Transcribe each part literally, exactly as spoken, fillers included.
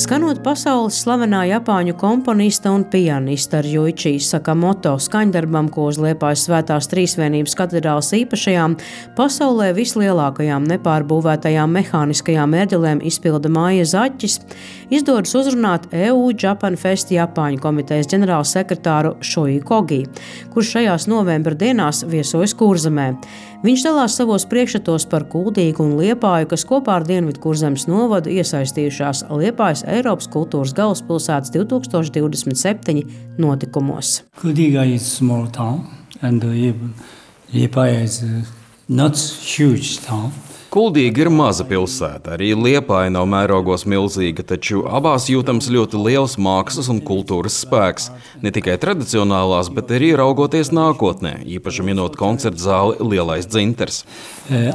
Skanot pasaules slavenā japāņu komponista un pianista Ryuichi Sakamoto skaņdarbam, ko uz Liepājas Svētās Trīsvienības katedrāles īpašajām, pasaulē vislielākajām nepārbūvētajām mehāniskajām ērģelēm izpilda Maija Zaķis, izdodas uzrunāt E U Japan Fest Japāņu komitejas ģenerālsekretāru Shoji Kogi, kurš šajās novembra dienās viesojas Kurzemē. Viņš dalās savos priekšstatos par Kuldīgu un Liepāju, kas kopā ar Dienvidu Kurzemes novadu iesaistījušās Liepājas Eiropas kultūras galvaspilsētas divi tūkstoši divdesmit septiņi notikumos. Kuldīga is small town and Liepāja is not huge town. Kuldīga ir maza pilsēta, arī Liepāja nav mērogos milzīga, taču abās jūtams ļoti liels mākslas un kultūras spēks. Ne tikai tradicionālās, bet arī raugoties nākotnē, īpaši minot koncertu zāli Lielais dzintars.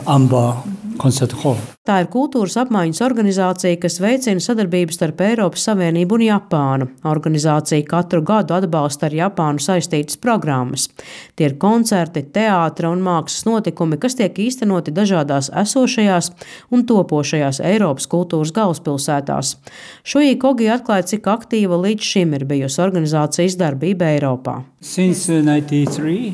Amba koncertu hall. Tā ir kultūras apmaiņas organizācija, kas veicina sadarbību starp Eiropas Savienību un Japānu. Organizācija katru gadu atbalsta ar Japānu saistītas programmas. Tie ir koncerti, teātra un mākslas notikumi, kas tiek īstenoti dažādās esošajās un topošajās Eiropas kultūras galvaspilsētās. Shoji Kogi atklāja, cik aktīva līdz šim ir bijusi organizācijas darbība Eiropā. Since ninety-three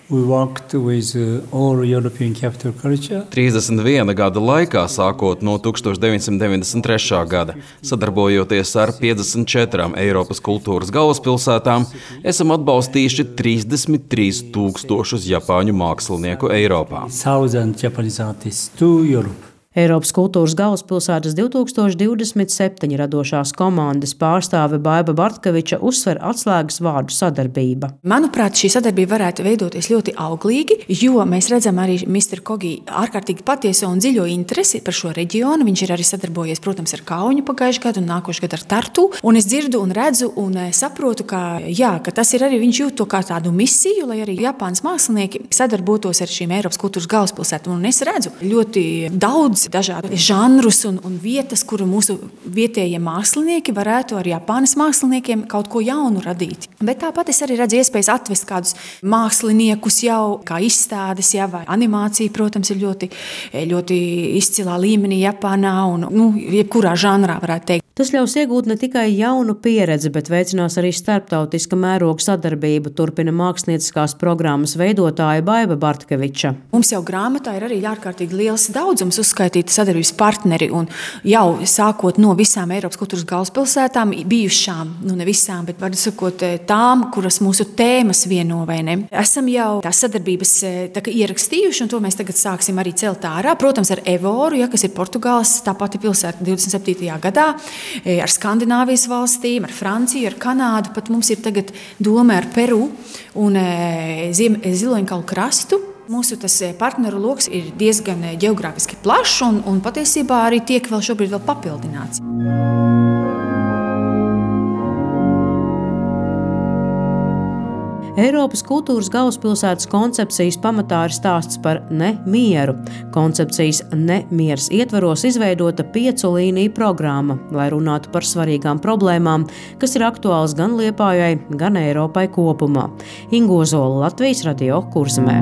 We worked with all European capital culture. trīsdesmit viena gada laikā, sākot no tūkstoš deviņsimt deviņdesmit trešā gada, sadarbojoties ar piecdesmit četrām Eiropas kultūras galvaspilsētām, esam atbalstījuši trīsdesmit trīs tūkstošus japāņu mākslinieku Eiropā. Thousand Japanese artists to Europe. Eiropas kultūras galvaspilsētas divi tūkstoši divdesmit septiņi radošās komandas pārstāve Baiba Bartkeviča uzsver atslēgas vārdu sadarbība. Manuprāt, šī sadarbība varētu veidoties ļoti auglīgi, jo mēs redzam arī mister Kogi ārkārtīgi patieso un dziļo interesi par šo reģionu. Viņš ir arī sadarbojies, protams, ar Kauņu pagājušajā gadu un nākošajā gadu ar Tartu. Un es dzirdu un redzu un saprotu, ka, jā, ka tas ir arī, viņš jūt to kā tādu misiju, lai arī Japānas mākslinieki sadarbotos ar šīm Eiropas kultūras galvaspilsētām. Un es redzu ļoti daudz dažādi žanrus un, un vietas, kuru mūsu vietējie mākslinieki varētu ar Japānas māksliniekiem kaut ko jaunu radīt. Bet tāpat es arī redzu iespējas atvest kādus māksliniekus jau, kā izstādes, jā, vai animācija, protams, ir ļoti, ļoti izcilā līmenī Japānā un, nu, jebkurā žanrā varētu teikt. Tas ļaus iegūt ne tikai jaunu pieredzi, bet veicinās arī starptautiska mēroga sadarbību, turpina mākslinieckās programmas veidotāja Baiba Bartkeviča. Mums jau grāmatā ir arī ārkārtīgi liels daudzums uzskaitīti sadarbības partneri un jau sākot no visām Eiropas kultūras galvaspilsētām bijušām, nu ne visām, bet var sakot tām, kuras mūsu tēmas vieno vai ne. Esam jau tās sadarbības tā, ierakstījuši un to mēs tagad sāksim arī celt ārā. Protams, ar Evoru, ja, kas ir Portugāles, tā pati pilsēta divdesmit septītajā gadā. Ar Skandināvijas valstīm, ar Franciju, ar Kanādu, pat mums ir tagad doma ar Peru un Ziloņkalu krastu. Mūsu tas partneru loks ir diezgan ģeogrāfiski plašs un, un patiesībā arī tiek vēl šobrīd vēl papildināts. Eiropas kultūras galvaspilsētas koncepcijas pamatā ir stāsts par nemieru. Koncepcijas nemiers ietvaros izveidota piecu līniju programma, lai runātu par svarīgām problēmām, kas ir aktuāls gan Liepājai, gan Eiropai kopumā. Inga Ozola, Latvijas radio Kurzemē.